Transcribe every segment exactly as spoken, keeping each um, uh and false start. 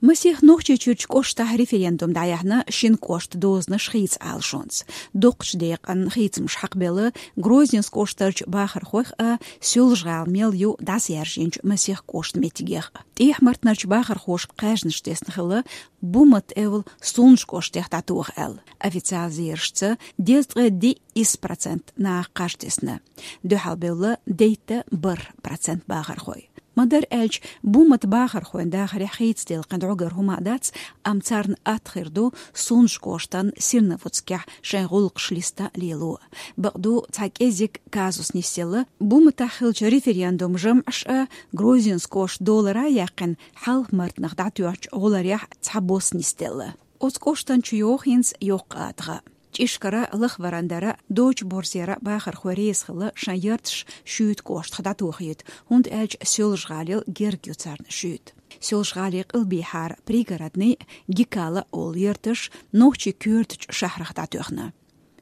Масех Нохчийчуьрчу кӀоштахь референдум дӀаяьхьна шина кӀошта дозанаш хийца Ӏалашонца. Доккхачу декъан хийцамаш хьакхабелла Грозненскан кӀоштарчу бахархойх а, Соьлжа-ГӀала мел ю дӀасаяьржинчу масех кӀоштан меттигех а. ТӀехьа-Мартанарчу бахархоша кхаьжнаш тесна хилла, Буммат эвла Сунжа кӀоштех дӀатоха аьлла. Официалан зерашца, дезткъе диъ исс процент наха кхаж тесна. Дуьхьал бевлла дейтта бархӀ процент бахархой. Ма-дарра аьлча, Буммат бахархойн дахарехь хийца делла кхин дӀогара хӀума а дац, амма царна атта хир ду Сунжа кӀоштан Серноводскехь шайн гӀуллакхаш листа лело. Бакъду, цхьа кӀеззиг казус нисъелла, Бумматахь хиллачу референдуман жамӀаш а, Грозненскан кӀошт долара а яьккхина, Хьалха-Мартанах дӀатоьхначу гӀоларехь цхьабосса нисделла. Оцу кӀоштан чу йогӀу хӀинца йоккха атагӀа. ЧӀишкара, Лахваран-Дара, Дочу-Борзера бахархой реза хилла шайн ярташ Шуьйта кӀоштах дӀатохийта, хӀунда аьлча Соьлжа-ГӀалина герга ю царна Шуьйта. Соьлжа-ГӀалин къилбехьара Пригородный, Гикала олу ярташ нохчийн коьртачу шахьарах дӀатоьхна.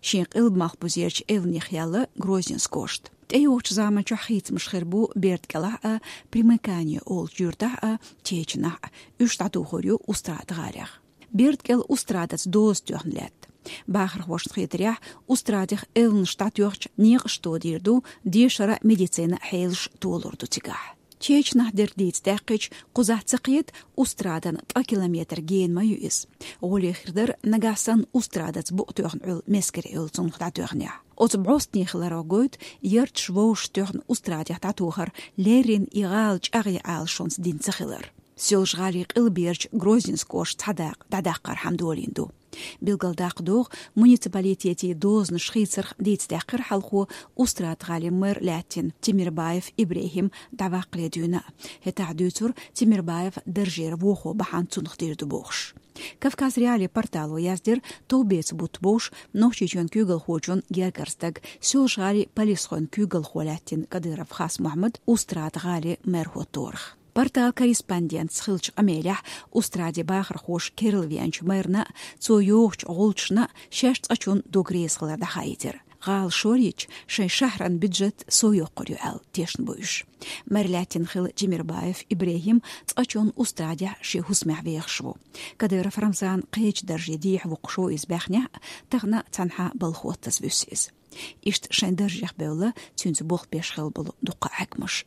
Шен къилба-малхбузерчу эвланех яьлла Грозненскан кӀошт. ТӀейогӀучу заманчохь хийцамаш хир бу Бердкъелахь а, Примыкание олучу юьртахь а, Чечанахь а. Уьш дӀатухур ю Устрада-ГӀалех. Бердкъел Устрадаца доза тоьхна лаьтта. Бахархошна хетарехь, Устрадех эвланаш дӀатоьхча, некъаш тодийр ду, дешара, медицина хьелаш толур ду цигахь. Чечанахь дерг дийца даьккхича, кхузахь ца кхета Устрадана ткъа километр гена ма ю иза. ГӀоле хир дара, нагахь санна Устрадаца букъ тоьхна Ӏуьллу Мескер-Эвла цунах дӀатоьхнехь. Оцу бӀостанехиларо гойту ярташ вовшашна тоьхна Устрадех дӀатохар леррина и гӀала чӀагӀъян Ӏалашонца дина ца хилар. Соьлжа-ГӀалин къилберчу Грозненскан кӀоштан цхьа дакъа дӀадаккхархьама долийна ду. Билгалдаккха догӀу, муниципалитетан дозанаш хийцарх дийца даьккхира хьалхо Устрада-ГӀалин мэр лаьттина Темирбаев ИбрехӀим дӀаваккхале дуьйна. ХӀетахь дуьйцура Темирбаев даржера вохо бахьана цунах дийр ду бохуш. Кавказ.Реалии портало яздира, товбеца бутт бовш Нохчийчоьнан куьйгалхочун гергара стаг, Соьлжа-ГӀалин полисхойн куьйгалхо лаьттина Кадыров Хас-Мухьаммад Устрада-ГӀалин мэр хӀотторах. Порталан корреспондентаца хиллачу къамелехь, Устрадан бахархоша керла веанчу мэрна а, цо йохучу гӀулчашна а шаьш цкъачунна дог реза хилар дӀахаийтира. ГӀала шорйича, шайн шахьаран бюджет сов йоккхур ю аьлла, тешна бу уьш. Мэр лаьттина хилла Темирбаев ИбрехӀим цкъачунна Устрадехь шен хӀусамехь вехаш ву. Кадыров Рамзан кхечу дарже дехьавоккхуш ву иза баьхнехь а, тахана цхьанхьа балха хӀоттаза вуьсу иза. Иштта шайн даржех бевлла, цуьнца болх беш хилла болу дуккха а хьаькамаш.